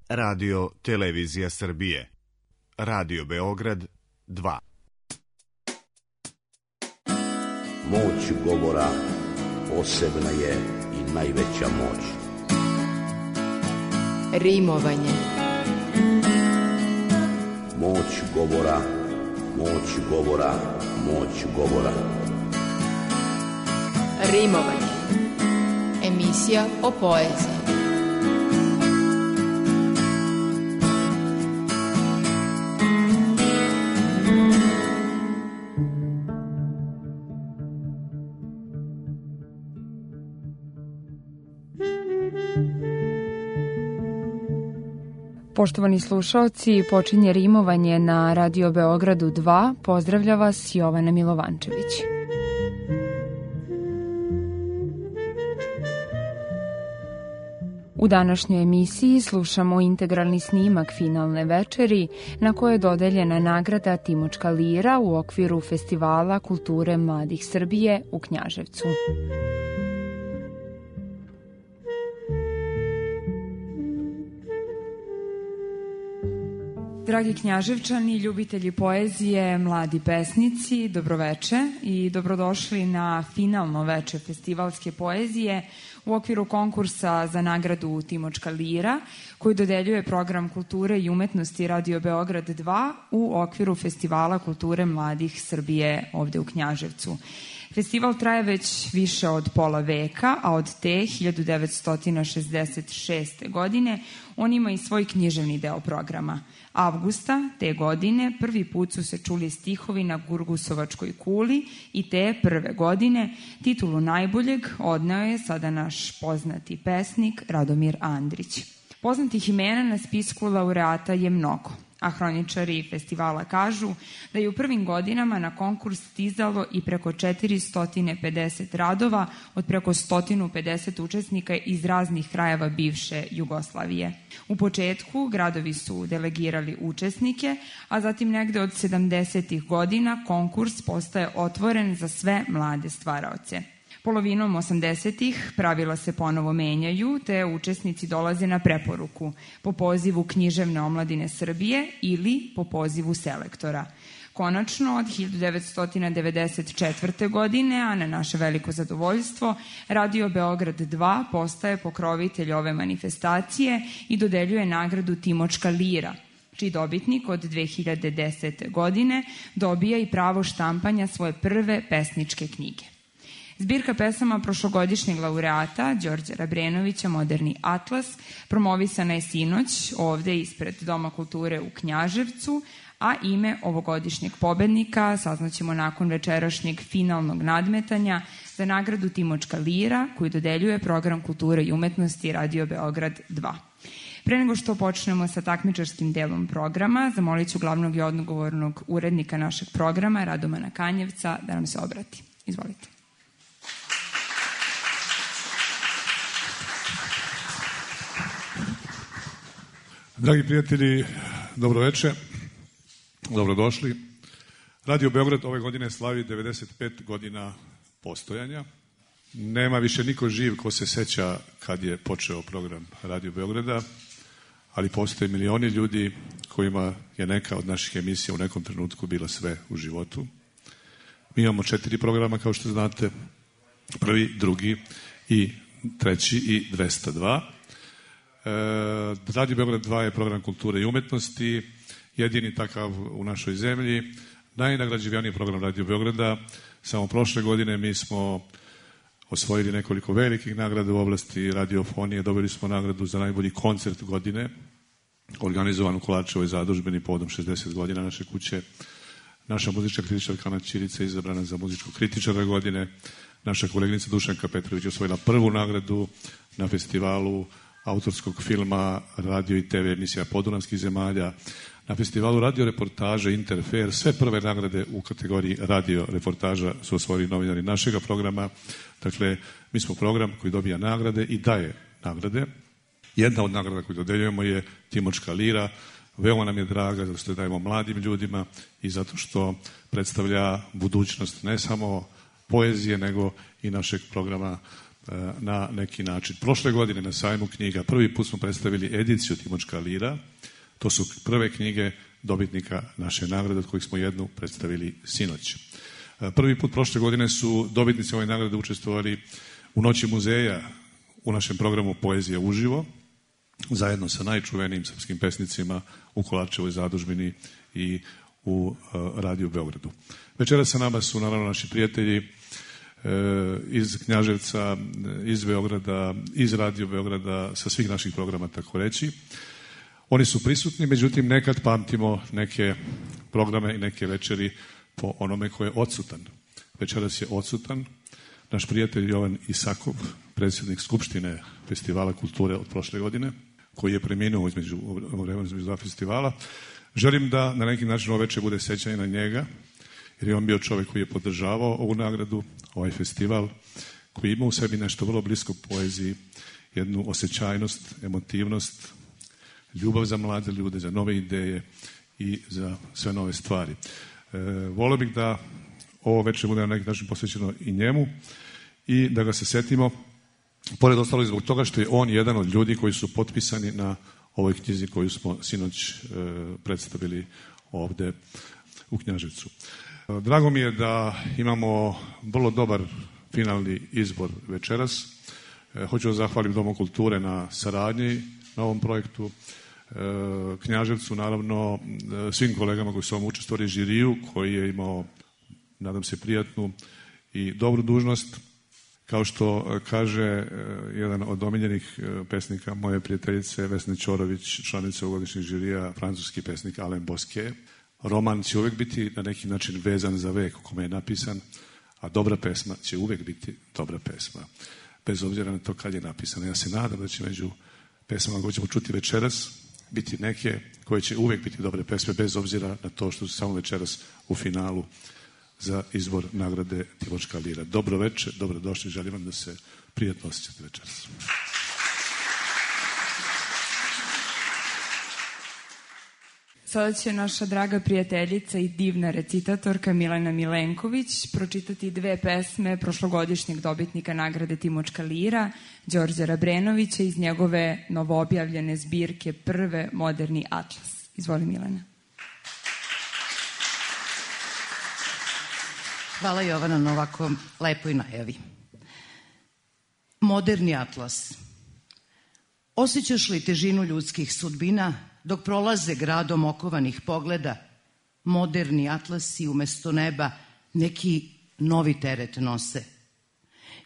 Radio Televizija Srbije. Radio Beograd 2. Moć govora posebna je i najveća moć. Rimovanje. Moć govora, moć govora, moć govora. Rimovanje. Emisija o poeziji. Poštovani slušaoci, počinje rimovanje na Radio Beogradu 2. Pozdravlja vas Jovana Milovančević. U današnjoj emisiji slušamo integralni snimak finalne večeri na kojoj je dodeljena nagrada Timočka lira u okviru Festivala kulture mladih Srbije u Knjaževcu. Dragi Knjaževčani, ljubitelji poezije, mladi pesnici, dobroveče i dobrodošli na finalno veče festivalske poezije u okviru konkursa za nagradu Timočka lira, koji dodeljuje program kulture i umetnosti Radio Beograd 2 u okviru Festivala kulture mladih Srbije ovde u Knjaževcu. Festival traje već više od pola veka, a od te 1966. godine on ima i svoj književni deo programa. Avgusta te godine prvi put su se čuli stihovi na Gurgusovačkoj kuli i te prve godine titulu najboljeg odneo je sada naš poznati pesnik Radomir Andrić. Poznatih imena na spisku laureata je mnogo, a hroničari festivala kažu da je u prvim godinama na konkurs stizalo i preko 450 radova od preko 150 učesnika iz raznih krajeva bivše Jugoslavije. U početku gradovi su delegirali učesnike, a zatim negde od 70. godina konkurs postaje otvoren za sve mlade stvaraoce. Polovinom 80-ih pravila se ponovo menjaju, te učesnici dolaze na preporuku po pozivu Književne omladine Srbije ili po pozivu selektora. Konačno, od 1994. godine, a na naše veliko zadovoljstvo, Radio Beograd 2 postaje pokrovitelj ove manifestacije i dodeljuje nagradu Timočka lira, čiji dobitnik od 2010. godine dobija i pravo štampanja svoje prve pesničke knjige. Zbirka pesama prošlogodišnjeg laureata Đorđa Rabrenovića Moderni atlas promovisana je sinoć ovde ispred Doma kulture u Knjaževcu, a ime ovogodišnjeg pobednika saznaćemo nakon večerašnjeg finalnog nadmetanja za nagradu Timočka lira koju dodeljuje program kulture i umetnosti Radio Beograd 2. Pre nego što počnemo sa takmičarskim delom programa, zamolit ću glavnog i odgovornog urednika našeg programa, Radomana Kanjevca, da nam se obrati. Izvolite. Dragi prijatelji, dobroveče, dobrodošli. Radio Beograd ove godine slavi 95 godina postojanja. Nema više niko živ ko se seća kad je počeo program Radio Beograda, ali postoje milioni ljudi kojima je neka od naših emisija u nekom trenutku bila sve u životu. Mi imamo 4 programa, kao što znate, prvi, drugi i treći i 202. Radio Beograd 2 je program kulture i umetnosti, jedini takav u našoj zemlji, najnagrađivaniji program Radio Beograda. Samo prošle godine mi smo osvojili nekoliko velikih nagrada u oblasti radiofonije, dobili smo nagradu za najbolji koncert godine, organizovan u Kolarčevoj zadužbini povodom 60 godina naše kuće. Naša muzička kritičarka Ana Ćirica izabrana za muzičkog kritičara godine, naša koleginica Dušanka Petrović osvojila prvu nagradu na festivalu autorskog filma, radio i TV emisija Podunavskih zemalja, na festivalu radio reportaže Interfer. Sve prve nagrade u kategoriji radio reportaža su osvojili novinari našega programa. Dakle, mi smo program koji dobija nagrade i daje nagrade. Jedna od nagrada koju dodeljujemo je Timočka lira. Veoma nam je draga zato što dajemo mladim ljudima i zato što predstavlja budućnost ne samo poezije, nego i našeg programa na neki način. Prošle godine na sajmu knjiga prvi put smo predstavili ediciju Timočka lira. To su prve knjige dobitnika naše nagrade, od kojih smo jednu predstavili sinoć. Prvi put prošle godine su dobitnici ove nagrade učestvovali u Noći muzeja u našem programu Poezija uživo, zajedno sa najčuvenijim srpskim pesnicima u Kolarčevoj zadužbini i u Radiju Beogradu. Večera sa nama su naravno naši prijatelji iz Knjaževca, iz Beograda, iz Radio Beograda, sa svih naših programa, tako reći. Oni su prisutni, međutim nekad pamtimo neke programe i neke večeri po onome ko je odsutan. Večeras je odsutan naš prijatelj Jovan Isakov, predsjednik Skupštine Festivala kulture od prošle godine, koji je preminuo između dva festivala. Želim da na neki način ovo večer bude sećanje na njega, jer je on bio čovjek koji je podržavao ovu nagradu, ovaj festival, koji ima u sebi nešto vrlo blisko poeziji, jednu osjećajnost, emotivnost, ljubav za mlade ljude, za nove ideje i za sve nove stvari. Volio bih da ovo večer bude na neki način posvećeno i njemu i da ga se setimo, pored ostalog zbog toga što je on jedan od ljudi koji su potpisani na ovoj knjizi koju smo sinoć predstavili ovde u Knjaževcu. Drago mi je da imamo vrlo dobar finalni izbor večeras. Hoću da zahvalim Domu kulture na saradnji na ovom projektu, Knjaževcu, naravno svim kolegama koji su ovom učestvovali, žiriju koji je imao, nadam se, prijatnu i dobru dužnost. Kao što kaže jedan od omiljenih pesnika moje prijateljice Vesne Ćorović, članica ovogodišnjeg žirija, francuski pesnik Alain Bosquet, roman će uvek biti na neki način vezan za vek u kome je napisan, a dobra pesma će uvek biti dobra pesma, bez obzira na to kad je napisana. Ja se nadam da će među pesmama koje ćemo čuti večeras biti neke koje će uvek biti dobre pesme, bez obzira na to što su samo večeras u finalu za izbor nagrade Timočka lira. Dobro večer, dobrodošli, želim vam da se prijatno osjećate večeras. Sada će naša draga prijateljica i divna recitatorka Milena Milenković pročitati dve pesme prošlogodišnjeg dobitnika nagrade Timočka lira, Đorđa Rabrenovića, iz njegove novoobjavljene zbirke Prve moderni atlas. Izvoli, Milena. Hvala, Jovana, na ovako lepoj najavi. Moderni atlas. Osjećaš li težinu ljudskih sudbina dok prolaze gradom okovanih pogleda? Moderni atlasi umesto neba neki novi teret nose.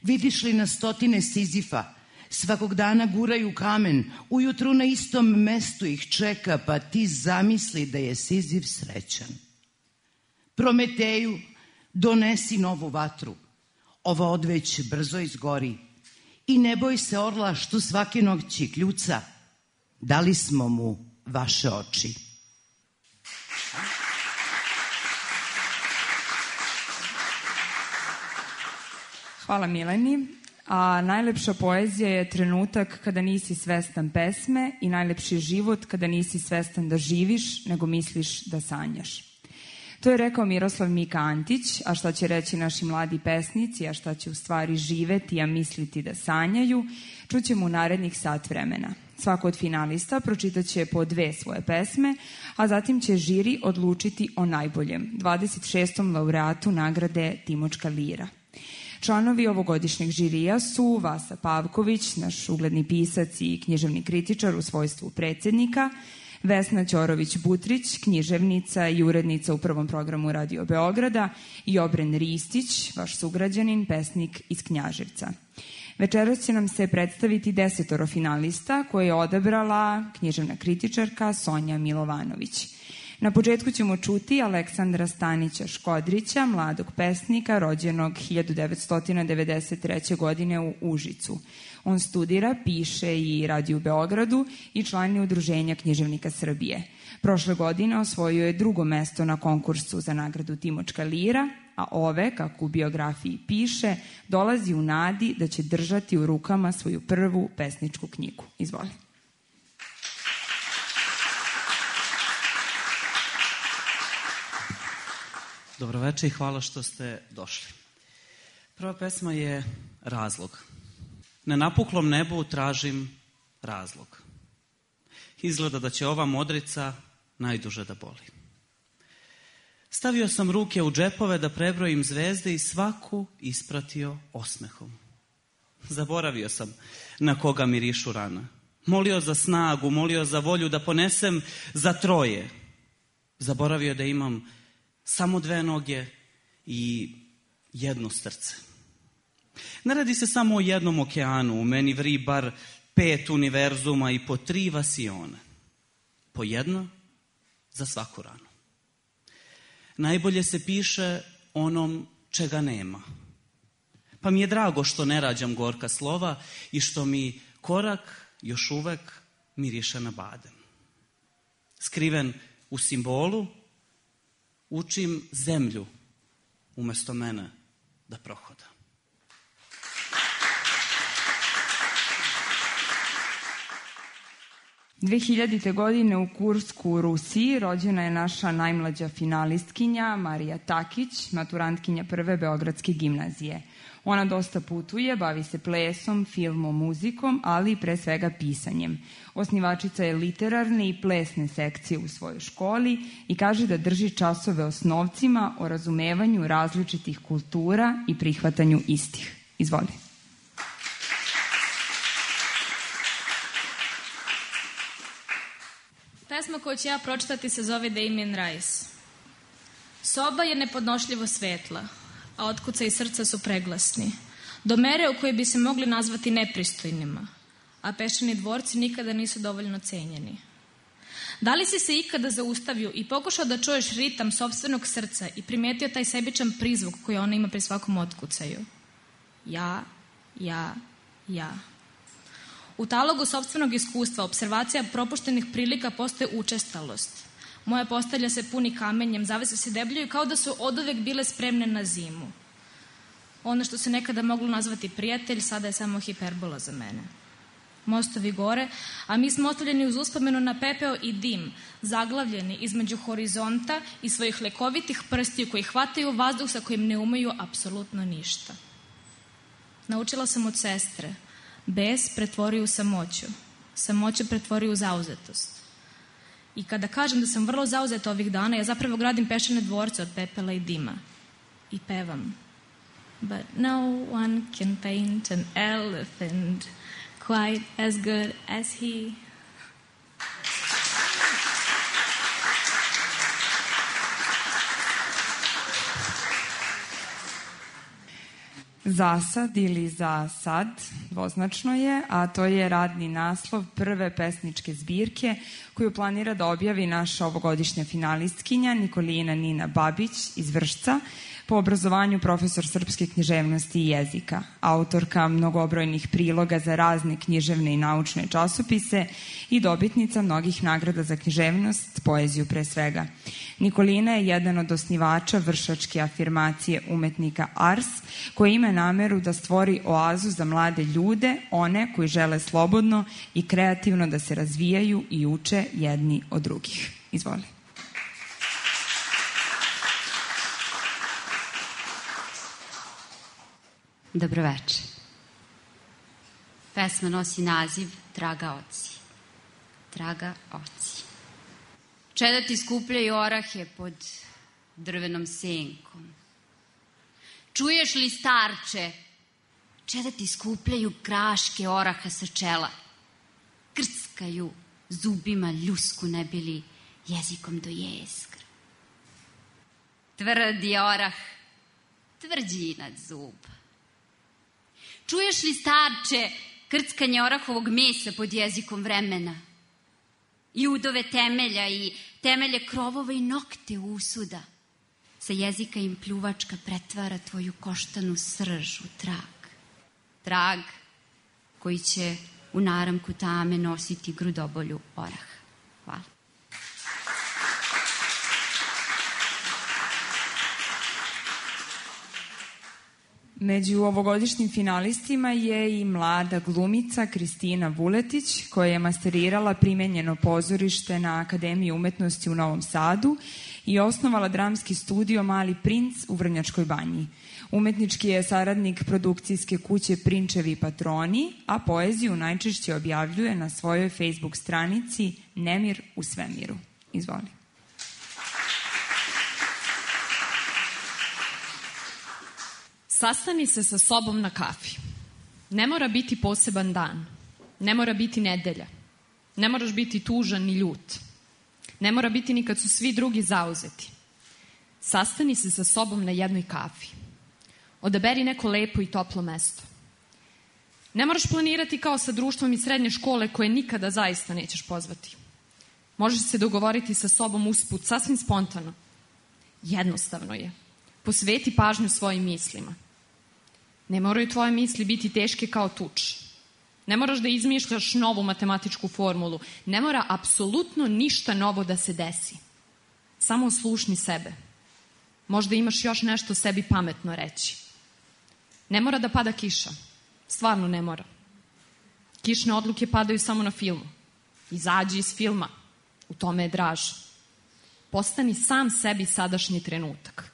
Vidiš li na stotine Sizifa, svakog dana guraju kamen, ujutru na istom mestu ih čeka, pa ti zamisli da je Sizif srećan. Prometeju, donesi novu vatru, ova odveć brzo izgori, i ne boj se orla što svake noći kljuca, dali smo mu vaše oči. Hvala, Mileni. A najlepša poezija je trenutak kada nisi svestan pesme i najlepši život kada nisi svestan da živiš, nego misliš da sanjaš. To je rekao Miroslav Mika Antić, a šta će reći naši mladi pesnici, a šta će u stvari živeti, a misliti da sanjaju, čućemo u narednih sat vremena. Svako od finalista pročitaće po dve svoje pesme, a zatim će žiri odlučiti o najboljem, 26. laureatu nagrade Timočka lira. Članovi ovogodišnjeg žirija su Vasa Pavković, naš ugledni pisac i književni kritičar u svojstvu predsjednika, Vesna Ćorović-Butrić, književnica i urednica u prvom programu Radio Beograda, i Obren Ristić, vaš sugrađanin, pesnik iz Knjaževca. Večeras će nam se predstaviti 10 finalista koje je odabrala književna kritičarka Sonja Milovanović. Na početku ćemo čuti Aleksandra Stanića Škodrića, mladog pesnika rođenog 1993. godine u Užicu. On studira, piše i radi u Beogradu i član je Udruženja književnika Srbije. Prošle godine osvojio je 2. mesto na konkursu za nagradu Timočka lira, a ove, kako u biografiji piše, dolazi u nadi da će držati u rukama svoju prvu pesničku knjigu. Izvoli. Dobro večer i hvala što ste došli. Prva pesma je Razlog. Na napuklom nebu tražim razlog. Izgleda da će ova modrica najduže da boli. Stavio sam ruke u džepove da prebrojim zvezde i svaku ispratio osmehom. Zaboravio sam na koga mirišu rana. Molio za snagu, molio za volju da ponesem za troje. Zaboravio da imam samo 2 noge i 1 srce. Ne radi se samo o jednom okeanu, u meni vri bar 5 univerzuma i po 3 vasione. Po 1 za svaku ranu. Najbolje se piše onom čega nema. Pa mi je drago što ne rađam gorka slova i što mi korak još uvek miriše na badem. Skriven u simbolu, učim zemlju umesto mene da prohoda. – 2000. godine u Kursku u Rusiji rođena je naša najmlađa finalistkinja Marija Takić, maturantkinja prve Beogradske gimnazije. Ona dosta putuje, bavi se plesom, filmom, muzikom, ali i pre svega pisanjem. Osnivačica je literarne i plesne sekcije u svojoj školi i kaže da drži časove osnovcima o razumevanju različitih kultura i prihvatanju istih. Izvoli. Pesma koju ću ja pročitati se zove Damien Rice. Soba je nepodnošljivo svetla, a otkucaji srca su preglasni, do mere u kojoj bi se mogli nazvati nepristojnima, a peščani dvorci nikada nisu dovoljno cenjeni. Da li si se ikada zaustavio i pokušao da čuješ ritam sopstvenog srca i primetio taj sebičan prizvuk koji ona ima pri svakom otkucaju? Ja. U talogu sopstvenog iskustva, observacija propuštenih prilika postaje učestalost. Moja postelja se puni kamenjem, zavese se debljaju kao da su oduvek bile spremne na zimu. Ono što se nekada moglo nazvati prijatelj, sada je samo hiperbola za mene. Mostovi gore, a mi smo ostavljeni uz uspomenu na pepeo i dim, zaglavljeni između horizonta i svojih lekovitih prstiju koji hvataju vazduh sa kojim ne umeju apsolutno ništa. Naučila sam od sestre. Bes pretvori u samoću. Samoću pretvori u zauzetost. I kada kažem da sam vrlo zauzeta ovih dana, ja zapravo gradim peščane dvorce od pepela i dima. I pevam. But no one can paint an elephant quite as good as he. Zasad ili za sad, dvoznačno je, a to je radni naslov prve pesničke zbirke koju planira da objavi naša ovogodišnja finalistkinja Nikolina Nina Babić iz Vršca, po obrazovanju profesor srpske književnosti i jezika, autorka mnogobrojnih priloga za razne književne i naučne časopise i dobitnica mnogih nagrada za književnost, poeziju pre svega. Nikolina je jedan od osnivača vršačke afirmacije umetnika Ars, koji ima nameru da stvori oazu za mlade ljude, one koji žele slobodno i kreativno da se razvijaju i uče jedni od drugih. Izvoli. Dobroveče. Pesma nosi naziv Draga oci. Draga oci. Čedati skupljaju orahe pod drvenom senkom. Čuješ li, starče? Čedati skupljaju kraške oraha sa čela. Krckaju zubima ljusku ne bili jezikom do jezgra. Tvrdi orah, tvrđi nad zuba. Čuješ li, starče, krckanje orahovog mesa pod jezikom vremena? Judove temelja i temelje krovova i nokte usuda. Sa jezika im pljuvačka pretvara tvoju koštanu srž u trag. Trag koji će u naramku tame nositi grudobolju oraha. Hvala. Među ovogodišnjim finalistima je i mlada glumica Kristina Vuletić, koja je masterirala primenjeno pozorište na Akademiji umetnosti u Novom Sadu i osnovala dramski studio Mali princ u Vrnjačkoj Banji. Umetnički je saradnik produkcijske kuće Prinčevi patroni, a poeziju najčešće objavljuje na svojoj Facebook stranici Nemir u svemiru. Izvoli. Sastani se sa sobom na kafi. Ne mora biti poseban dan. Ne mora biti nedelja. Ne moraš biti tužan ni ljut. Ne mora biti ni kad su svi drugi zauzeti. Sastani se sa sobom na jednoj kafi. Odaberi neko lepo i toplo mesto. Ne moraš planirati kao sa društvom iz srednje škole koje nikada zaista nećeš pozvati. Možeš se dogovoriti sa sobom usput, sasvim spontano. Jednostavno je. Posveti pažnju svojim mislima. Ne moraju tvoje misli biti teške kao tuč. Ne moraš da izmišljaš novu matematičku formulu. Ne mora apsolutno ništa novo da se desi. Samo oslušni sebe. Možda imaš još nešto sebi pametno reći. Ne mora da pada kiša. Stvarno ne mora. Kišne odluke padaju samo na filmu. Izađi iz filma. U tome je draž. Postani sam sebi sadašnji trenutak.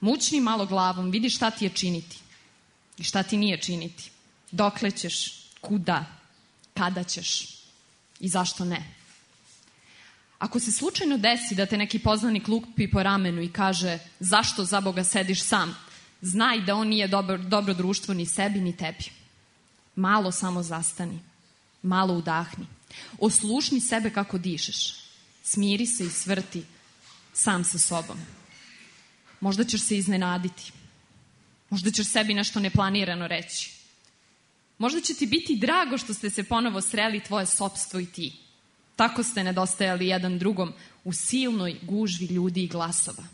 Mučni malo glavom, vidi šta ti je činiti i šta ti nije činiti. Dokle ćeš, kuda, kada ćeš i zašto ne. Ako se slučajno desi da te neki poznanik lupi po ramenu i kaže zašto za Boga sediš sam, znaj da on nije dobro društvo ni sebi ni tebi. Malo samo zastani, malo udahni. Oslušni sebe kako dišeš. Smiri se i svrti sam sa sobom. Možda ćeš se iznenaditi. Možda ćeš sebi nešto neplanirano reći. Možda će ti biti drago što ste se ponovo sreli tvoje sopstvo i ti. Tako ste nedostajali jedan drugom u silnoj gužvi ljudi i glasova.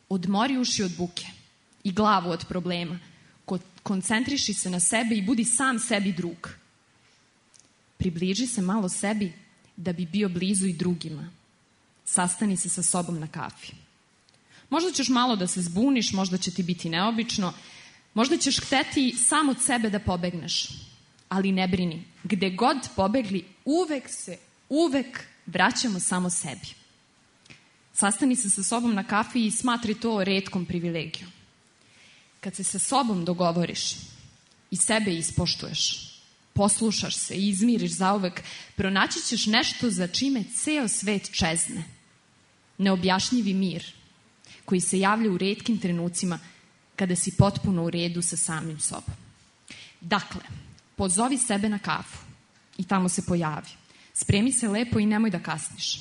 Odmori uši od buke i glavu od problema. Koncentriši se na sebe i budi sam sebi drug. Približi se malo sebi da bi bio blizu i drugima. Sastani se sa sobom na kafi. Možda ćeš malo da se zbuniš, možda će ti biti neobično, možda ćeš hteti sam od sebe da pobegneš. Ali ne brini, gde god pobegli, uvek vraćamo samo sebi. Sastani se sa sobom na kafi i smatri to retkom privilegijom. Kad se sa sobom dogovoriš i sebe ispoštuješ, poslušaš se i izmiriš zauvek, pronaći ćeš nešto za čime ceo svet čezne. Neobjašnjivi mir koji se javlja u retkim trenucima kada si potpuno u redu sa samim sobom. Dakle, pozovi sebe na kafu i tamo se pojavi. Spremi se lepo i nemoj da kasniš.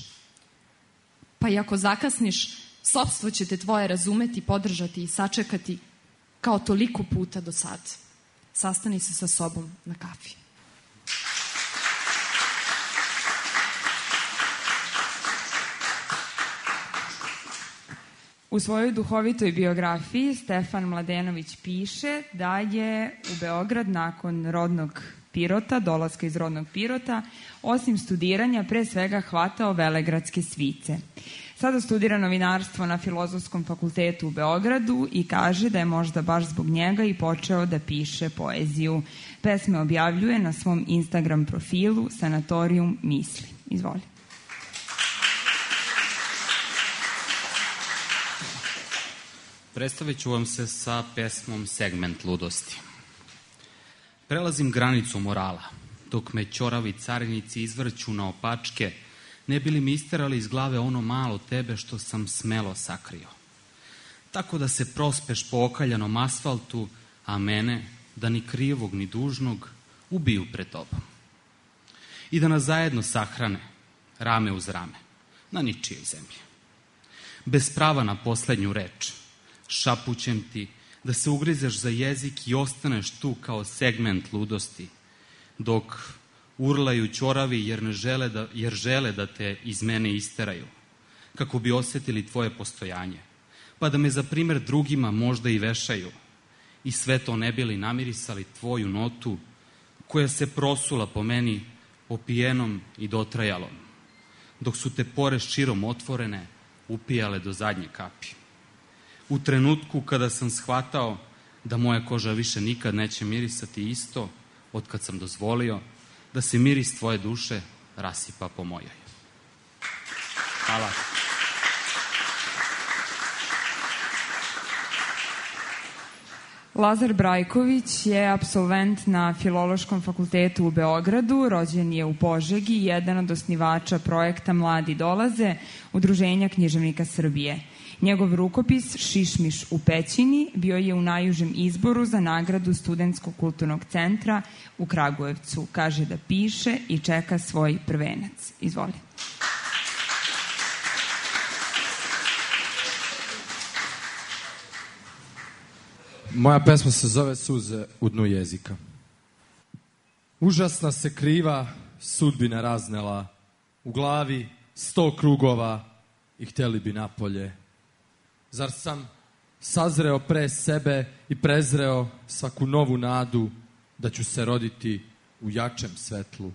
Pa i ako zakasniš, sopstvo će te tvoje razumeti, podržati i sačekati kao toliko puta do sad. Sastani se sa sobom na kafi. U svojoj duhovitoj biografiji Stefan Mladenović piše da je u Beograd nakon rodnog Pirota, dolaska iz rodnog Pirota, osim studiranja pre svega hvatao velegradske svice. Sada studira novinarstvo na Filozofskom fakultetu u Beogradu i kaže da je možda baš zbog njega i počeo da piše poeziju. Pesme objavljuje na svom Instagram profilu Sanatorijum misli. Izvoli. Predstavit ću vam se sa pesmom Segment ludosti. Prelazim granicu morala, dok me ćoravi carinici izvrću na opačke, ne bi li mi isterali iz glave ono malo tebe što sam smelo sakrio. Tako da se prospeš po okaljanom asfaltu, a mene, da ni krivog ni dužnog, ubiju pred tobom. I da nas zajedno sahrane, rame uz rame, na ničijoj zemlji. Bez prava na poslednju reč, šapućem ti da se ugrizeš za jezik i ostaneš tu kao segment ludosti, dok urlaju ćoravi jer žele da te iz mene isteraju, kako bi osetili tvoje postojanje, pa da me za primer drugima možda i vešaju, i sve to ne bili namirisali tvoju notu, koja se prosula po meni opijenom i dotrajalom, dok su te pore širom otvorene upijale do zadnje kapi. U trenutku kada sam shvatao da moja koža više nikad neće mirisati isto od kad sam dozvolio da se miris tvoje duše rasipa po mojoj. Hvala. Lazar Brajković je apsolvent na Filološkom fakultetu u Beogradu, rođen je u Požegi, jedan od osnivača projekta Mladi dolaze, Udruženja književnika Srbije. Njegov rukopis Šišmiš u pećini bio je u najužem izboru za nagradu Studentskog kulturnog centra u Kragujevcu. Kaže da piše i čeka svoj prvenac. Izvoli. Moja pesma se zove Suze u dnu jezika. Užasna se kriva sudbina raznela, u glavi 100 krugova i htjeli bi napolje. Zar sam sazreo pre sebe i prezreo svaku novu nadu da ću se roditi u jačem svetlu?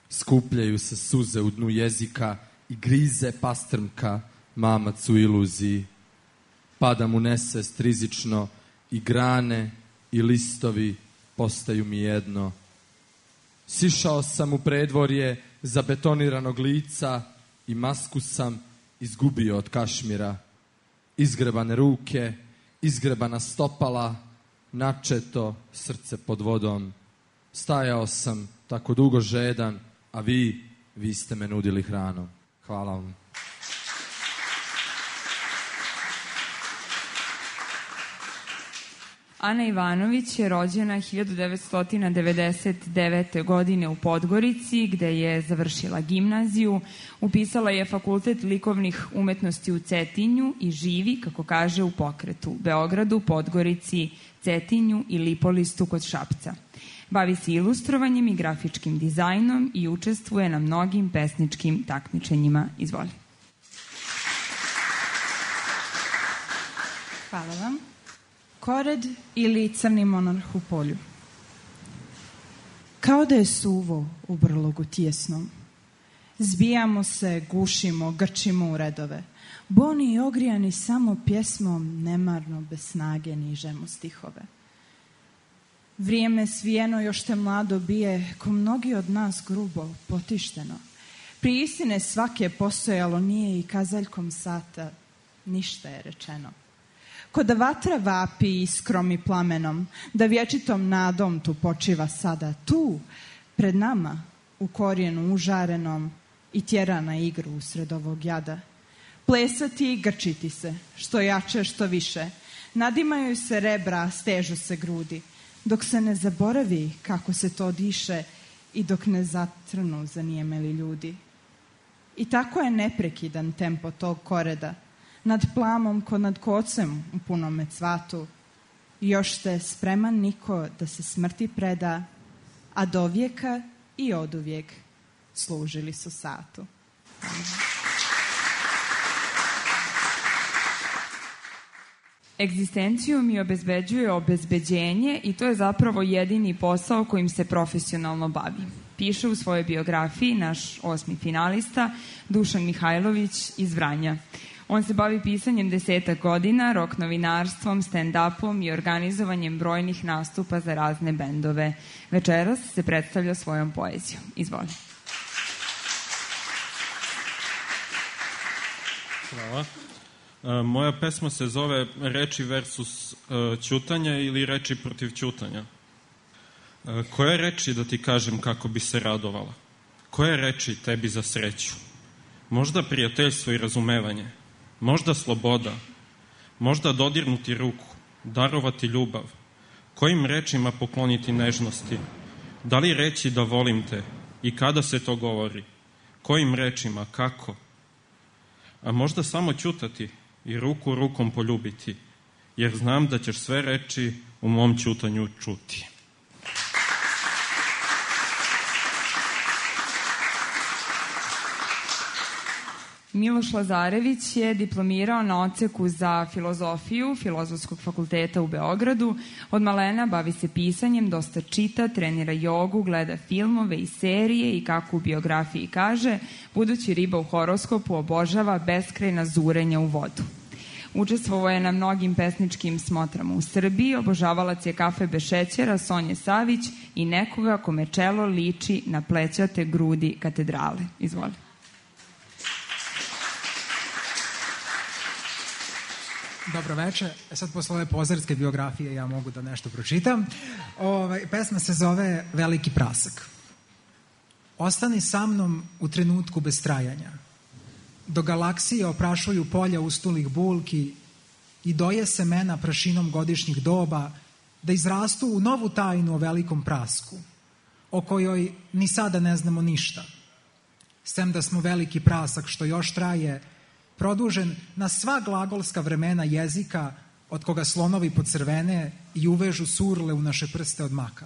Skupljaju se suze u dnu jezika i grize pastrmka mamac u iluziji. Pada mu nesvest rizično i grane i listovi postaju mi jedno. Sišao sam u predvorje zabetoniranog lica i masku sam izgubio od kašmira. Izgrebane ruke, izgrebana stopala, načeto srce pod vodom. Stajao sam tako dugo žedan, a vi ste me nudili hranom. Hvala vam. Ana Ivanović je rođena 1999. godine u Podgorici, gde je završila gimnaziju. Upisala je Fakultet likovnih umetnosti u Cetinju i živi, kako kaže, u pokretu Beogradu, Podgorici, Cetinju i Lipolistu kod Šapca. Bavi se ilustrovanjem i grafičkim dizajnom i učestvuje na mnogim pesničkim takmičenjima. Izvoli. Hvala vam. Kored ili crni monarh u polju. Kao da je suvo u brlogu tjesnom. Zbijamo se, gušimo, grčimo u redove. Boni i ogrijani samo pjesmom, nemarno bez snage nižemo stihove. Vrijeme svijeno još te mlado bije, ko mnogi od nas grubo, potišteno. Pri istine svake postojalo nije i kazaljkom sata ništa je rečeno. Ko da vatra vapi iskrom i plamenom, da vječitom nadom tu počiva sada, tu, pred nama, u korijenu užarenom i tjera na igru usred ovog jada. Plesati i grčiti se, što jače, što više, nadimaju se rebra, stežu se grudi, dok se ne zaboravi kako se to diše i dok ne zatrnu zanijemeli ljudi. I tako je neprekidan tempo tog koreda, nad plamom ko nad kocem u punome cvatu. Još te spreman niko da se smrti preda, a do vijeka i oduvijek služili su satu. Egzistenciju mi obezbeđuje obezbeđenje i to je zapravo jedini posao kojim se profesionalno bavi. Piše u svojoj biografiji naš 8. finalista Dušan Mihajlović iz Vranja. On se bavi pisanjem 10 godina, rock novinarstvom, stand-upom i organizovanjem brojnih nastupa za razne bendove. Večeras se predstavlja svojom poezijom. Izvoli. Hvala. Moja pesma se zove Reči versus ćutanje ili Reči protiv ćutanja. Koje reči da ti kažem kako bi se radovala? Koje reči tebi za sreću? Možda prijateljstvo i razumevanje, možda sloboda, možda dodirnuti ruku, darovati ljubav. Kojim rečima pokloniti nežnosti? Da li reći da volim te i kada se to govori? Kojim rečima, kako? A možda samo ćutati i ruku rukom poljubiti, jer znam da ćeš sve reči u mom ćutanju čuti. Miloš Lazarević je diplomirao na odseku za filozofiju Filozofskog fakulteta u Beogradu. Od malena bavi se pisanjem, dosta čita, trenira jogu, gleda filmove i serije i kako u biografiji kaže, budući riba u horoskopu obožava beskrajna zurenja u vodu. Učestvovao je na mnogim pesničkim smotrama u Srbiji, obožavalac je Kafe bez šećera, Sonje Savić i nekoga kome čelo liči na plećate grudi katedrale. Izvoli. Dobro večer. Sad posle ove pozarske biografije ja mogu da nešto pročitam. Pesma se zove Veliki prasak. Ostani sa mnom u trenutku bez trajanja. Do galaksije oprašuju polja ustulih bulki i doje semena prašinom godišnjih doba da izrastu u novu tajnu o velikom prasku, o kojoj ni sada ne znamo ništa. Sem da smo veliki prasak što još traje, produžen na sva glagolska vremena jezika od koga slonovi pocrvene i uvežu surle u naše prste od maka.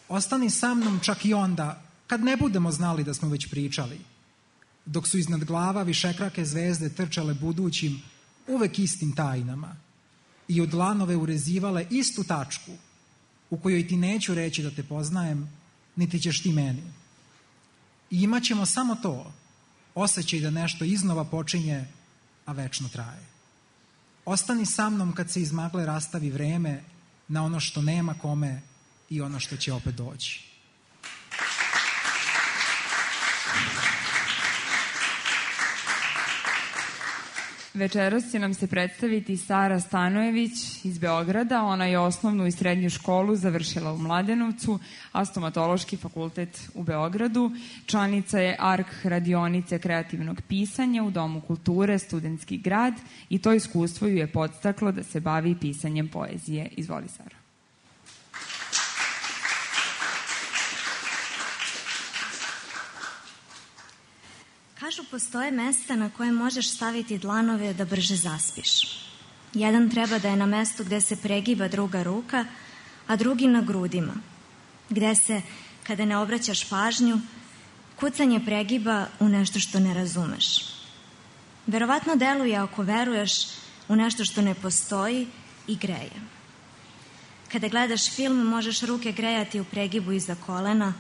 Ostani sa mnom čak i onda kad ne budemo znali da smo već pričali, dok su iznad glava višekrake zvezde trčale budućim, uvek istim tajnama i od dlanove urezivale istu tačku u kojoj ti neću reći da te poznajem, niti ćeš ti meni. I imat ćemo samo to, osjećaj da nešto iznova počinje, a večno traje. Ostani sa mnom kad se iz magle rastavi vreme na ono što nema kome i ono što će opet doći. Večeras će nam se predstaviti Sara Stanojević iz Beograda. Ona je osnovnu i srednju školu završila u Mladenovcu, a stomatološki fakultet u Beogradu. Članica je ARK radionice kreativnog pisanja u Domu kulture Studentski grad i to iskustvo ju je podstaklo da se bavi pisanjem poezije. Izvoli, Sara. Kažu, postoje mesta na koje možeš staviti dlanove da brže zaspiš. Jedan treba da je na mestu gde se pregiba druga ruka, a drugi na grudima, gde se, kada ne obraćaš pažnju, kucanje pregiba u nešto što ne razumeš. Verovatno deluje ako veruješ u nešto što ne postoji i greje. Kada gledaš film, možeš ruke grejati u pregibu iza kolena,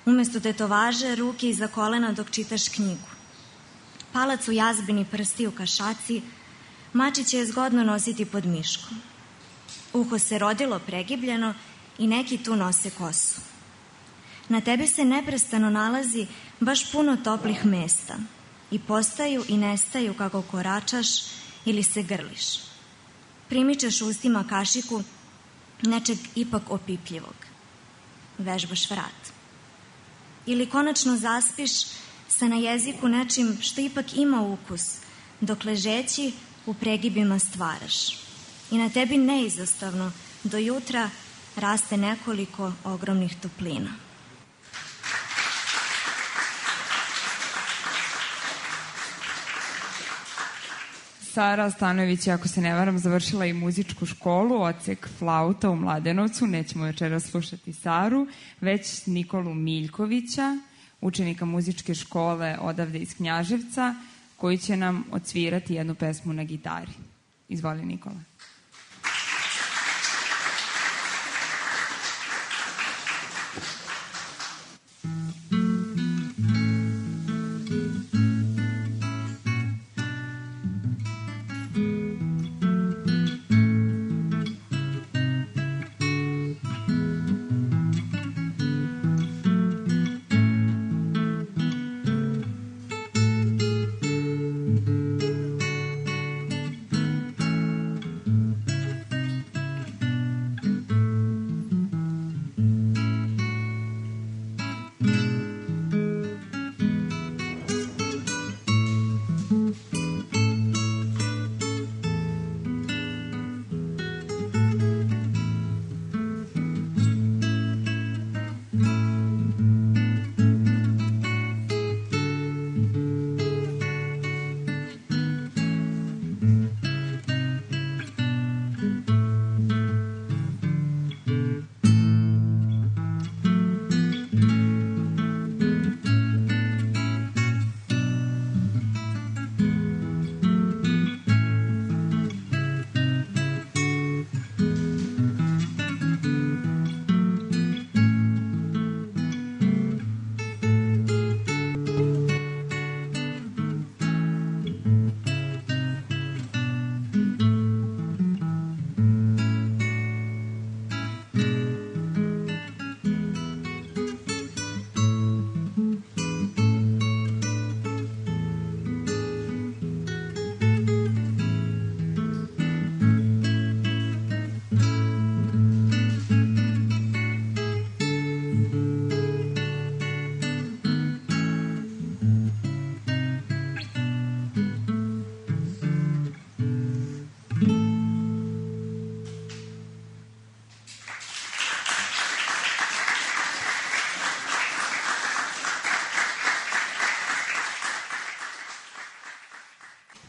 umesto tetovaže ruke iza kolena dok čitaš knjigu. Palac u jazbini prsti u kašaci, mačiće je zgodno nositi pod miškom. Uho se rodilo pregibljeno i neki tu nose kosu. Na tebi se neprestano nalazi baš puno toplih mesta i postaju i nestaju kako koračaš ili se grliš. Primičeš ustima kašiku nečeg ipak opipljivog. Vežbaš vrat. Ili konačno zaspiš sa na jeziku nečim što ipak ima ukus, dok ležeći u pregibima stvaraš. I na tebi neizostavno do jutra raste nekoliko ogromnih toplina. Sara Stanojević je, ako se ne varam, završila i muzičku školu, odsek flauta u Mladenovcu. Nećemo večeras slušati Saru, već Nikolu Miljkovića, učenika muzičke škole odavde iz Knjaževca, koji će nam odsvirati jednu pesmu na gitari. Izvoli, Nikola.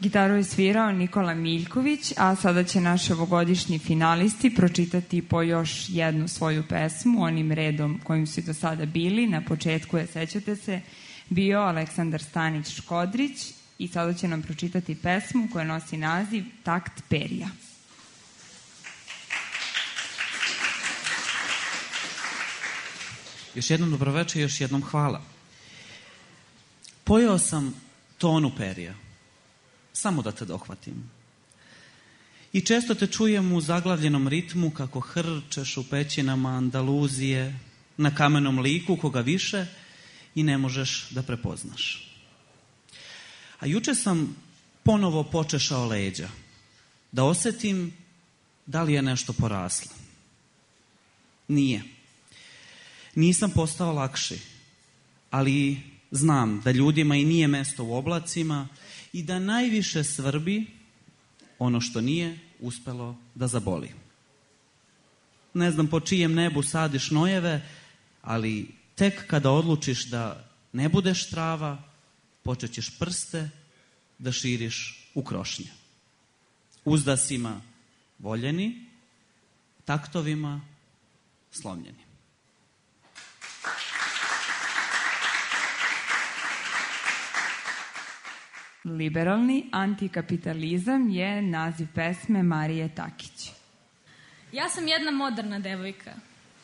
Gitaru je svirao Nikola Miljković, a sada će naši ovogodišnji finalisti pročitati po još jednu svoju pesmu, onim redom kojim su do sada bili. Na početku je, sećate se, bio Aleksandar Stanić-Škodrić i sada će nam pročitati pesmu koja nosi naziv Takt perja. Još jednom dobroveče i još jednom hvala. Pojeo sam tonu perja, samo da te dohvatim. I često te čujem u zaglavljenom ritmu kako hrčeš u pećinama Andaluzije, na kamenom liku koga više i ne možeš da prepoznaš. A juče sam ponovo počešao leđa, da osetim da li je nešto poraslo. Nije. Nisam postao lakši, ali znam da ljudima i nije mesto u oblacima i da najviše svrbi ono što nije uspelo da zaboli. Ne znam po čijem nebu sadiš nojeve, ali tek kada odlučiš da ne budeš trava, počet ćeš prste da širiš u krošnje. Uzdasima voljeni, taktovima slomljeni. Liberalni antikapitalizam je naziv pesme Marije Takić. Ja sam jedna moderna devojka.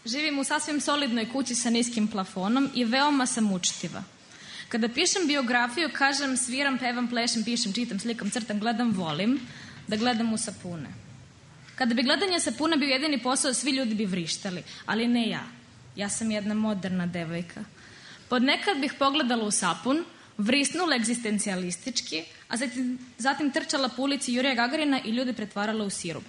Živim u sasvim solidnoj kući sa niskim plafonom i veoma sam učtiva. Kada pišem biografiju, kažem sviram, pevam, plešem, pišem, čitam, slikam, crtam, gledam, volim da gledam u sapune. Kada bi gledanje sapuna bio jedini posao, svi ljudi bi vrištali, ali ne ja. Ja sam jedna moderna devojka. Podnekad bih pogledala u sapun, vrisnula egzistencijalistički, a zatim trčala po ulici Jurija Gagarina i ljude pretvarala u sirup.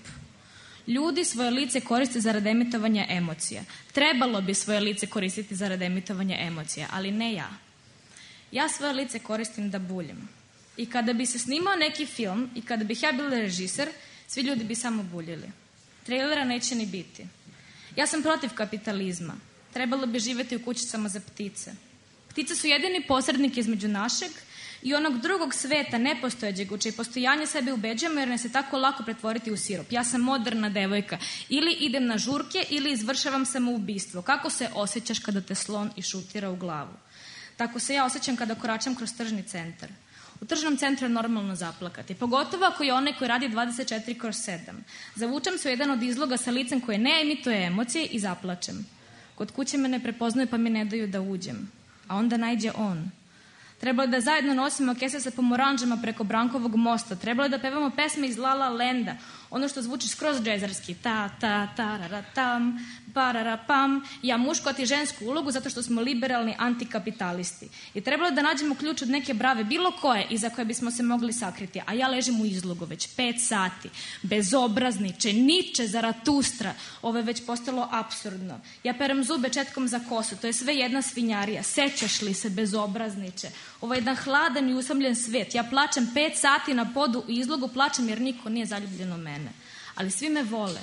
Ljudi svoje lice koriste zarad emitovanja emocija. Trebalo bi svoje lice koristiti zarad emitovanja emocija, ali ne ja. Ja svoje lice koristim da buljim. I kada bi se snimao neki film i kada bih ja bila režiser, svi ljudi bi samo buljili. Trailera neće ni biti. Ja sam protiv kapitalizma. Trebalo bi živjeti u kućicama za ptice. Ptice su jedini posrednik između našeg i onog drugog sveta, nepostojećeg, u čije postojanje sebe ubeđujemo jer ne se tako lako pretvoriti u sirup. Ja sam moderna devojka. Ili idem na žurke ili izvršavam samoubistvo. Kako se osjećaš kada te slon išutira u glavu? Tako se ja osjećam kada koračam kroz tržni centar. U tržnom centru je normalno zaplakati, pogotovo ako je onaj koji radi 24/7. Zavučem se u jedan od izloga sa licem koje ne emituje emocije i zaplačem. Kod kuće me ne prepoznaju pa mi ne daju da uđem. A onda najđe on. Trebalo je da zajedno nosimo kese sa pomoranđama preko Brankovog mosta. Trebalo je da pevamo pesme iz La La Landa. Ono što zvuči skroz džezarski. Ta, ta, tarara, tam, parara, pam. Ja mušku, a ti žensku ulogu zato što smo liberalni antikapitalisti. I trebalo je da nađemo ključ od neke brave, bilo koje, iza koje bismo se mogli sakriti. A ja ležim u izlogu već 5 sati. Bezobrazniče, Niče, Zaratustra. Ovo je već postalo apsurdno. Ja perem zube četkom za kosu. To je sve jedna svinjarija. Sećaš li se, bezobrazniče? Ovo je jedan hladan i usamljen svet. Ja plačem 5 sati na podu u izlogu, plačem jer niko nije zaljubljen u mene. Ali svi me vole.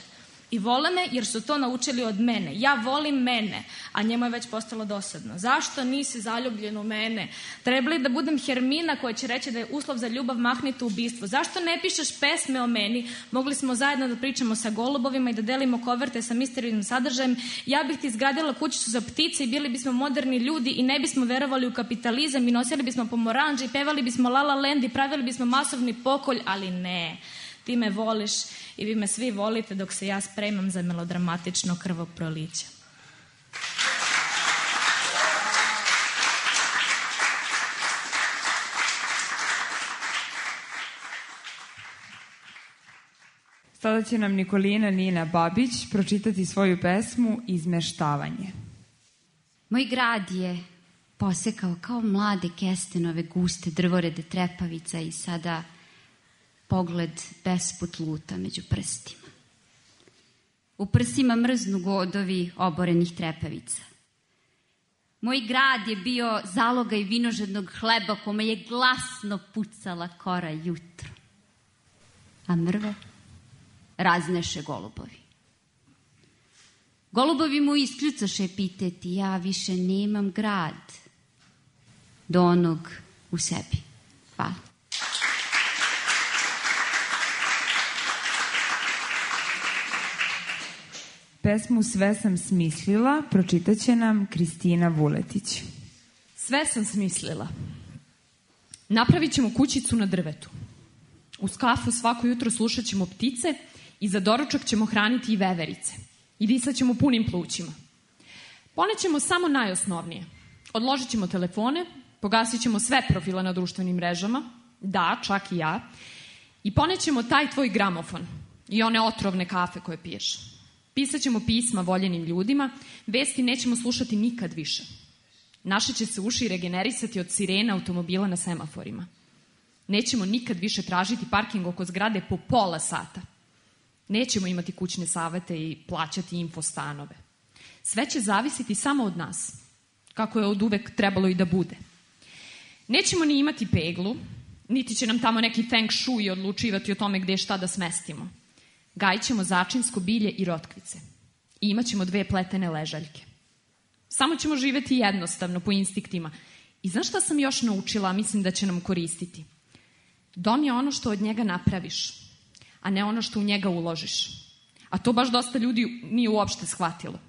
I vole me jer su to naučili od mene. Ja volim mene, a njemu je već postalo dosadno. Zašto nisi zaljubljen u mene? Treba li da budem Hermina koja će reći da je uslov za ljubav mahnito ubistvo? Zašto ne pišeš pesme o meni? Mogli smo zajedno da pričamo sa golubovima i da delimo koverte sa misterijnim sadržajem. Ja bih ti izgradila kućicu za ptice i bili bismo moderni ljudi i ne bismo verovali u kapitalizam i nosili bismo pomoranđe i pevali bismo La La Land i pravili bismo masovni pokolj, ali ne. Ti me voliš i vi me svi volite dok se ja spremam za melodramatično krvoproliće. Sada će nam Nikolina Nina Babić pročitati svoju pesmu Izmeštavanje. Moj grad je posekao kao mlade kestenove guste drvorede trepavica i sada pogled besput luta među prstima. U prsima mrznu godovi oborenih trepavica. Moj grad je bio zalogaj vinožednog hleba kome je glasno pucala kora jutro. A mrve razneše golubovi. Golubovi mu iskljucaše epiteti, ja više nemam grad do onog u sebi. Hvala. pesmu Sve sam smislila pročitaće nam Kristina Vuletić. Sve sam smislila. Napravit ćemo kućicu na drvetu. Uz kafu svako jutro slušat ćemo ptice i za doručak ćemo hraniti i veverice. I disat ćemo punim plućima. Ponećemo samo najosnovnije. Odložit ćemo telefone, pogasit ćemo sve profile na društvenim mrežama, da, čak i ja, i ponećemo taj tvoj gramofon i one otrovne kafe koje piješ. Pisat ćemo pisma voljenim ljudima, vesti nećemo slušati nikad više. Naše će se uši regenerisati od sirena automobila na semaforima. Nećemo nikad više tražiti parking oko zgrade po pola sata. Nećemo imati kućne savete i plaćati infostanove. Sve će zavisiti samo od nas, kako je od uvek trebalo i da bude. Nećemo ni imati peglu, niti će nam tamo neki feng shui odlučivati o tome gde šta da smestimo. Gajit ćemo začinsko bilje i rotkvice. I imat ćemo 2 pletene ležaljke. Samo ćemo živeti jednostavno, po instiktima. I znaš šta sam još naučila, a mislim da će nam koristiti? Dom je ono što od njega napraviš, a ne ono što u njega uložiš. A to baš dosta ljudi nije uopšte shvatilo.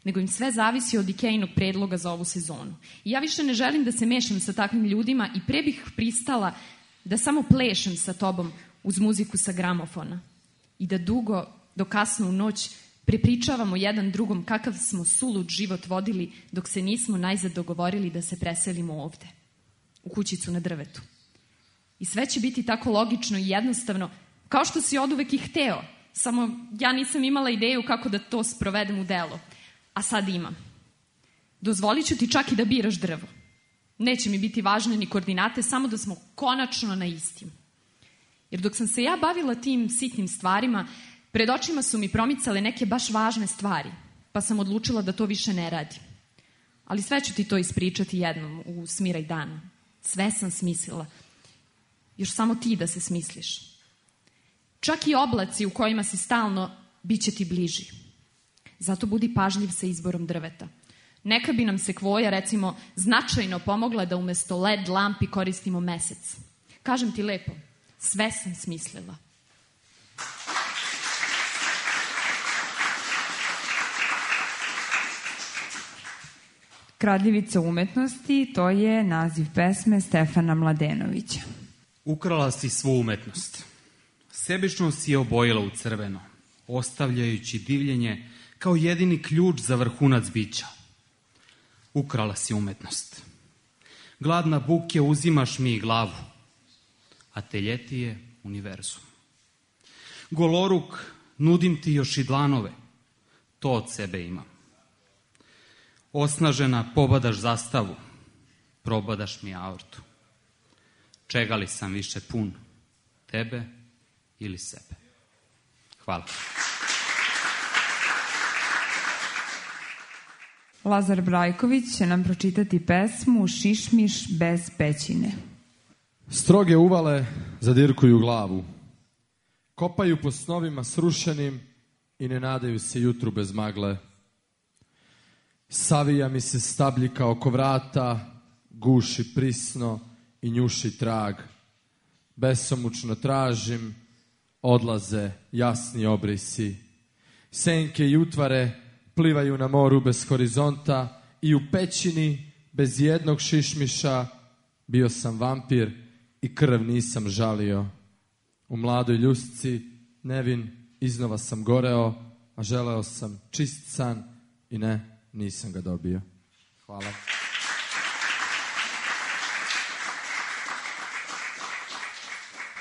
Nego im sve zavisi od Ikeinog predloga za ovu sezonu. I ja više ne želim da se mešam sa takvim ljudima i pre bih pristala da samo plešem sa tobom uz muziku sa gramofona. I da dugo, do kasno u noć, prepričavamo jedan drugom kakav smo sulud život vodili dok se nismo najzad dogovorili da se preselimo ovde, u kućicu na drvetu. I sve će biti tako logično i jednostavno, kao što si oduvek i hteo, samo ja nisam imala ideju kako da to sprovedem u delo. A sad imam. Dozvolit ću ti čak i da biraš drvo. Neće mi biti važne ni koordinate, samo da smo konačno na istim. Jer dok sam se ja bavila tim sitnim stvarima, pred očima su mi promicale neke baš važne stvari, pa sam odlučila da to više ne radim. Ali sve ću ti to ispričati jednom u smiraj dana. Sve sam smislila. Još samo ti da se smisliš. Čak i oblaci u kojima si stalno, bit će ti bliži. Zato budi pažljiv sa izborom drveta. Neka bi nam sekvoja, recimo, značajno pomogla da umesto LED lampi koristimo mesec. Kažem ti lepo, sve sam smislila. Kradljivica umetnosti, to je naziv pesme Stefana Mladenovića. Ukrala si svu umetnost. Sebično si je obojila u crveno, ostavljajući divljenje kao jedini ključ za vrhunac bića. Ukrala si umetnost. Gladna buke uzimaš mi glavu, a teljeti je univerzum. Goloruk, nudim ti još i dlanove, to od sebe imam. Osnažena pobadaš zastavu, probadaš mi aortu. Čega li sam više pun, tebe ili sebe? Hvala. Lazar Brajković će nam pročitati pesmu Šišmiš bez pećine. Stroge uvale zadirkuju glavu. Kopaju po snovima srušenim i ne nadaju se jutru bez magle. Savija mi se stabljika oko vrata, guši prisno i njuši trag. Besomučno tražim, odlaze jasni obrisi. Senke i utvare plivaju na moru bez horizonta i u pećini bez jednog šišmiša bio sam vampir i krv nisam žalio. U mladoj ljusci nevin iznova sam goreo, a želeo sam čist san i ne, nisam ga dobio. Hvala.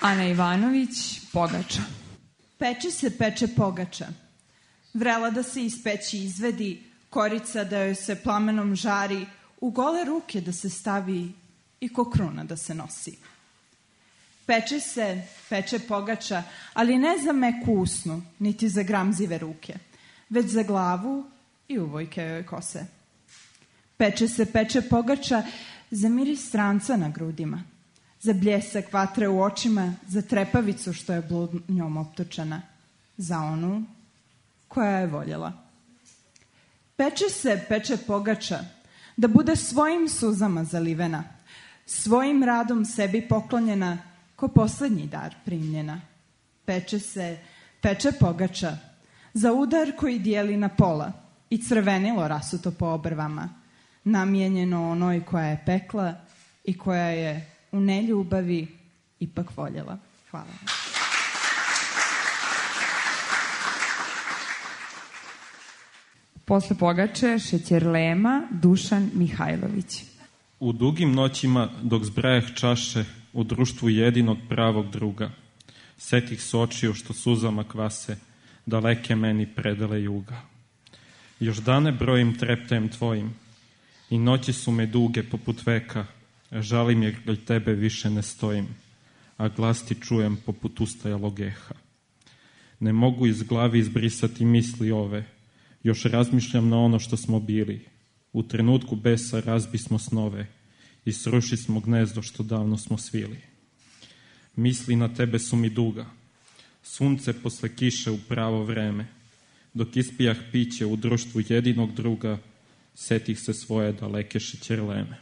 Ana Ivanović, Pogača. Peče pogača. Vrela da se iz peći izvedi, korica da joj se plamenom žari, u gole ruke da se stavi i ko kruna da se nosi. Peče pogača, ali ne za meku usnu, niti za gramzive ruke, već za glavu i uvojke joj kose. Peče pogača za miris stranca na grudima, za bljesak vatre u očima, za trepavicu što je bludnjom optočena, za onu koja je voljela. Peče pogača da bude svojim suzama zalivena, svojim radom sebi poklonjena, ko poslednji dar primljena. Peče pogača za udar koji dijeli na pola i crvenilo rasuto po obrvama, namijenjeno onoj koja je pekla i koja je u neljubavi ipak voljela. Hvala. Posle pogače Šećerlema Dušan Mihajlović. U dugim noćima dok zbrajah čaše u društvu jedinog pravog druga, setih se očiju što suzama kvase, daleke meni predale juga. Još dane brojim treptajem tvojim i noći su me duge poput veka, žalim jer kraj tebe više ne stojim, a glas ti čujem poput ustajalog eha. Ne mogu iz glavi izbrisati misli ove, još razmišljam na ono što smo bili. U trenutku besa razbismo snove i srušismo gnezdo što davno smo svili. Misli na tebe su mi duga, sunce posle kiše u pravo vreme. Dok ispijah piće u društvu jedinog druga, setih se svoje daleke Šećerleme.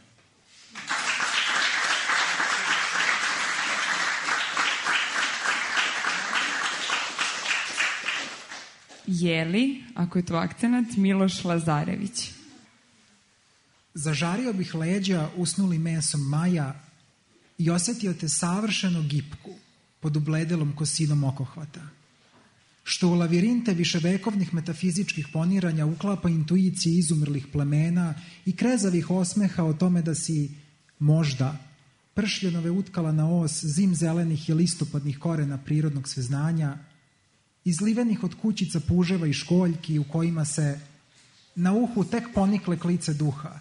Jeli, ako je to akcenat, Miloš Lazarević. Zažario bih leđa usnuli mesom maja i osetio te savršeno gipku pod ubledelom kosinom okohvata, što u lavirinte viševekovnih metafizičkih poniranja uklapa intuicije izumrlih plemena i krezavih osmeha o tome da si možda pršljenove utkala na os zim zelenih i listopadnih korena prirodnog sveznanja, izlivenih od kućica puževa i školjki u kojima se na uhu tek ponikle klice duha,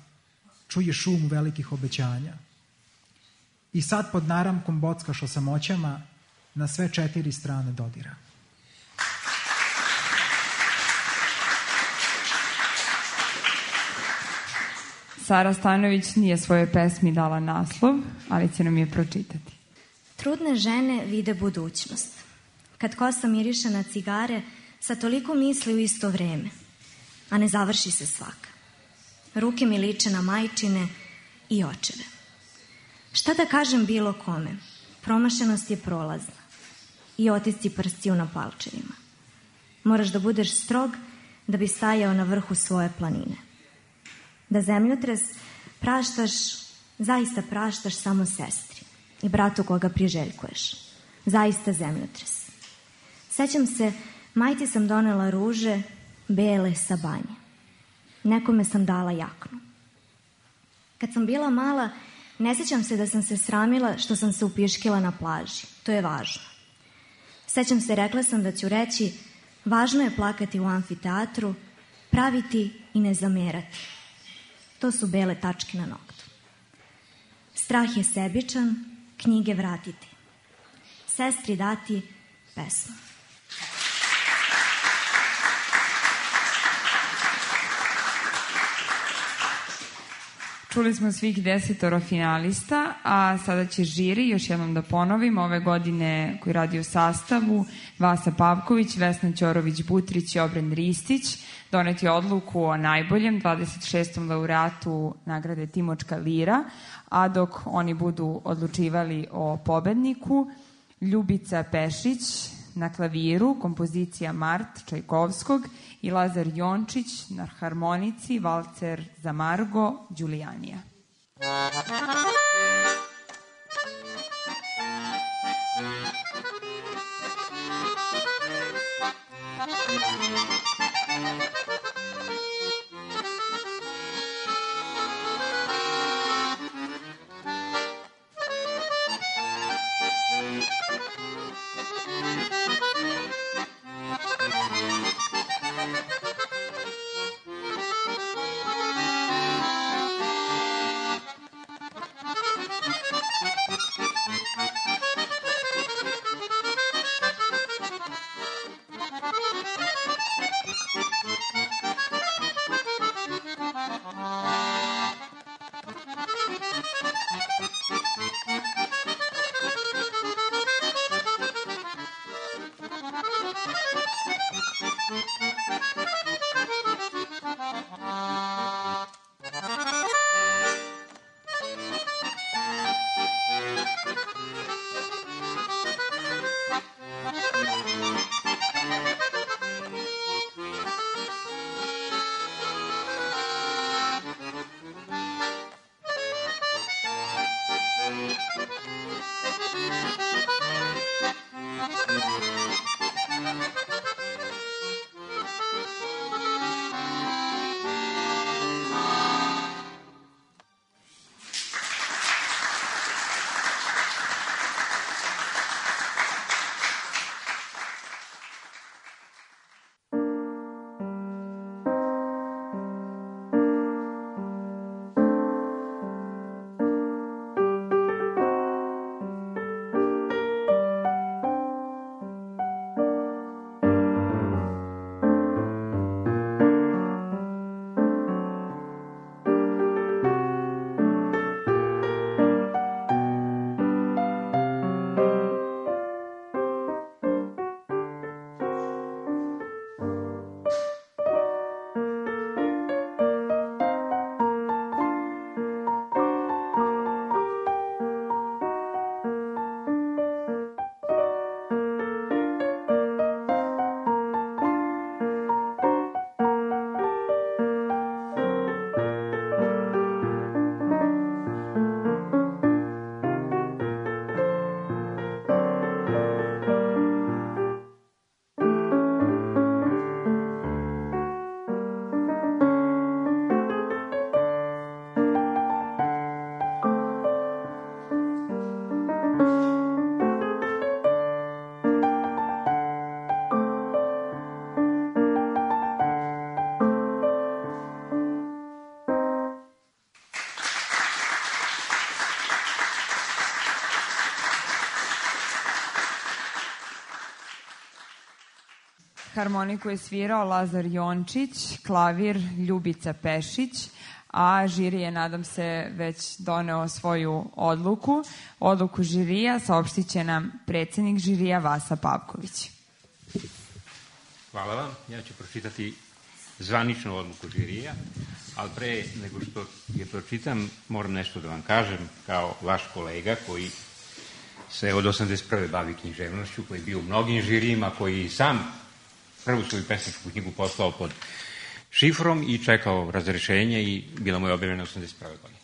čuje šum velikih obećanja. I sad pod naramkom bockaš o samoćama na sve 4 strane dodira. Sara Stanović nije svojoj pesmi dala naslov, ali će nam je pročitati. Trudne žene vide budućnost. Kad kosa miriše na cigare, sa toliko misli u isto vreme, a ne završi se svaka. Ruke mi liče na majčine i očeve. Šta da kažem bilo kome? Promašenost je prolazna i otisci prstiju na palčevima. Moraš da budeš strog da bi stajao na vrhu svoje planine. Da zemljotres praštaš, zaista praštaš samo sestri i bratu koga priželjkuješ. Zaista zemljotres. Sećam se, majci sam donela ruže, bele sa banje. Nekome sam dala jaknu. Kad sam bila mala, ne sećam se da sam se sramila što sam se upiškila na plaži. To je važno. Sećam se, rekla sam da ću reći, važno je plakati u amfiteatru, praviti i ne zamerati. To su bele tačke na noktu. Strah je sebičan, knjige vratiti. Sestri dati pesmu. Čuli smo svih 10 finalista, a sada će žiri, još jednom da ponovim, ove godine koji radi u sastavu Vasa Pavković, Vesna Ćorović-Butrić i Obren Ristić, doneti odluku o najboljem 26. laureatu nagrade Timočka lira, a dok oni budu odlučivali o pobedniku, Ljubica Pešić na klaviru, kompozicija Mart Čajkovskog i Lazar Jončić na harmonici, valcer za Margo Đulijanija. Harmoniku je svirao Lazar Jončić, klavir Ljubica Pešić, a žiri je, nadam se, već doneo svoju odluku. Odluku žirija saopštit će nam predsednik žirija Vasa Pavković. Hvala vam. Ja ću pročitati zvaničnu odluku žirija, ali pre nego što je pročitam, moram nešto da vam kažem kao vaš kolega koji se od 81. bavi književnošću, koji je bio u mnogim žirijima, koji sam prvu svoju pesničku knjigu poslao pod šifrom i čekao razrešenje i bila mu je objavljena 81. godine.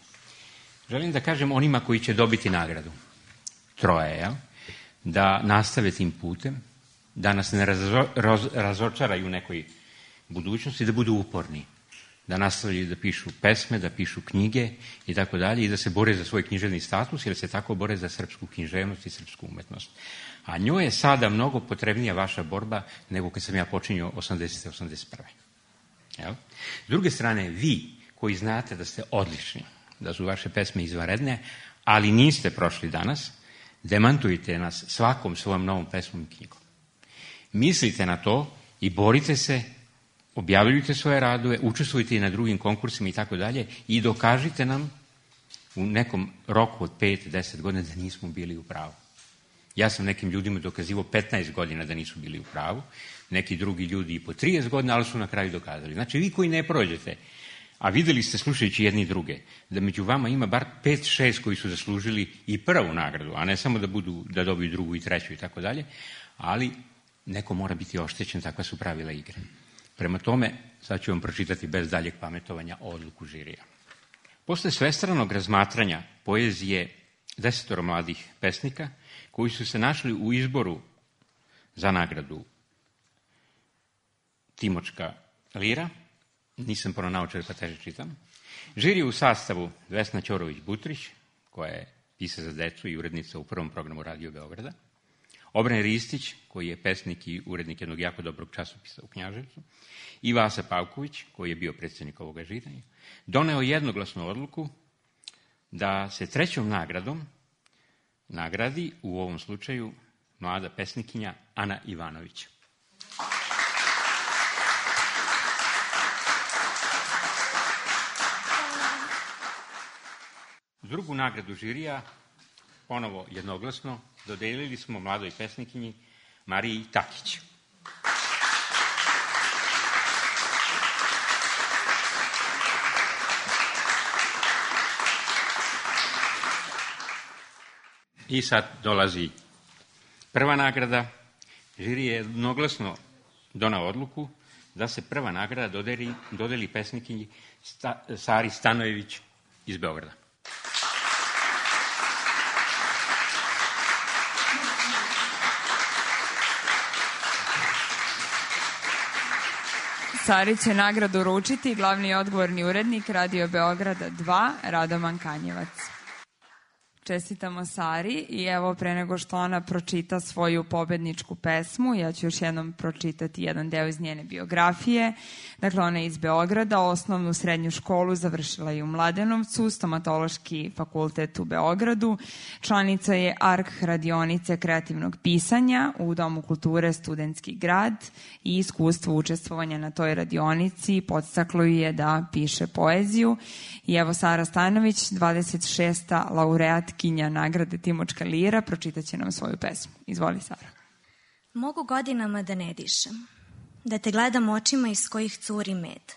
Želim da kažem onima koji će dobiti nagradu, troje, da nastave tim putem, da nas ne razočaraju u nekoj budućnosti, da budu uporni, da nastavljaju da pišu pesme, da pišu knjige i tako dalje i da se bore za svoj književni status jer se tako bore za srpsku književnost i srpsku umetnost. A njoj je sada mnogo potrebnija vaša borba nego kad sam ja počinio 80. 81. Jel? S druge strane, vi koji znate da ste odlični, da su vaše pesme izvanredne, ali niste prošli danas, demantujte nas svakom svojom novom pesmom i knjigom. Mislite na to i borite se, objavljujte svoje radove, učestvujte i na drugim konkursima i tako dalje i dokažite nam u nekom roku od 5-10 godina da nismo bili u pravu. Ja sam nekim ljudima dokazivao 15 godina da nisu bili u pravu, neki drugi ljudi i po 30 godina, ali su na kraju dokazali. Znači, vi koji ne prođete, a videli ste slušajući jedni druge, da među vama ima bar 5-6 koji su zaslužili i prvu nagradu, a ne samo da dobiju drugu i treću i tako dalje, ali neko mora biti oštećen, takva su pravila igre. Prema tome, sad ću vam pročitati bez daljeg pametovanja odluku žirija. Posle svestranog razmatranja poezije 10 mladih pesnika, koji su se našli u izboru za nagradu Timočka lira, nisam pronaučio pa teže čitam, žiri u sastavu Vesna Ćorović-Butrić, koja je pisac za decu i urednica u prvom programu Radio Beograda, Obren Ristić, koji je pesnik i urednik jednog jako dobrog časopisa u Knjaževcu, i Vasa Pavković, koji je bio predsednik ovoga žiranja, doneo jednoglasnu odluku da se trećom nagradom nagradi, u ovom slučaju, mlada pesnikinja Ana Ivanović. Drugu nagradu žirija, ponovo jednoglasno, dodelili smo mladoj pesnikinji Mariji Takić. I sad dolazi prva nagrada. Žiri je jednoglasno donao odluku da se prva nagrada dodeli pesnikinji Sari Stanojević iz Beograda. Sari će nagradu uručiti glavni i odgovorni urednik Radio Beograda 2, Radoman Kanjevac. Čestitamo Sari i evo pre nego što ona pročita svoju pobedničku pesmu, ja ću još jednom pročitati jedan deo iz njene biografije. Dakle, ona je iz Beograda, osnovnu srednju školu završila je u Mladenovcu, stomatološki fakultet u Beogradu, članica je ARK radionice kreativnog pisanja u Domu kulture Studentski grad i iskustvo učestvovanja na toj radionici podstaklo je da piše poeziju. I evo Sara Stanović, 26. laureatkinja nagrade Timočka lira, pročitaće nam svoju pesmu. Izvoli, Sara. Mogu godinama da ne dišem, da te gledam očima iz kojih curi med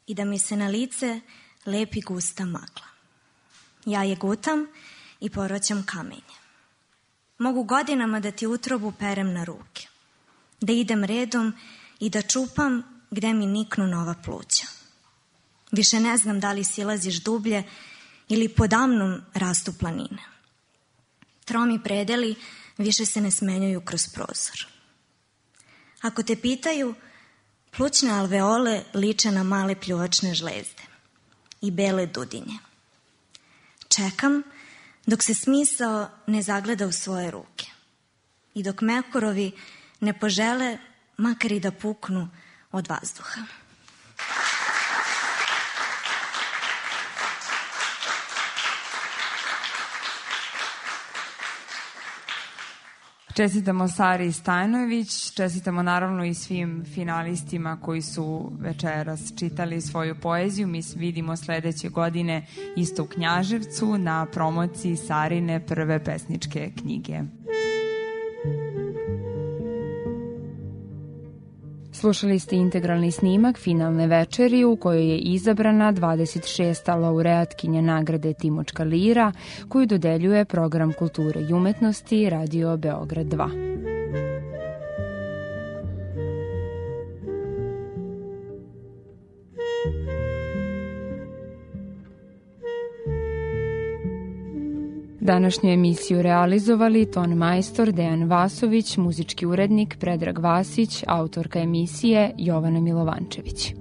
i da mi se na lice lepi gusta magla. Ja je gutam i poroćam kamenje. Mogu godinama da ti utrobu perem na ruke, da idem redom i da čupam gde mi niknu nova pluća. Više ne znam da li silaziš dublje ili podamnom rastu planine. Tromi predeli više se ne smenjuju kroz prozor. Ako te pitaju, plućne alveole liče na male pljuvačne žlezde i bele dudinje. Čekam dok se smisao ne zagleda u svoje ruke i dok mekurovi ne požele makar i da puknu od vazduha. Čestitamo Sari Stajnović, čestitamo naravno i svim finalistima koji su večeras čitali svoju poeziju. Mi se vidimo sledeće godine isto u Knjaževcu na promociji Sarine prve pesničke knjige. Slušali ste integralni snimak finalne večeri u kojoj je izabrana 26. laureatkinja nagrade Timočka lira koju dodeljuje Program kulture i umetnosti Radio Beograd 2. Današnju emisiju realizovali ton majstor Dejan Vasović, muzički urednik Predrag Vasić, autorka emisije Jovana Milovančević.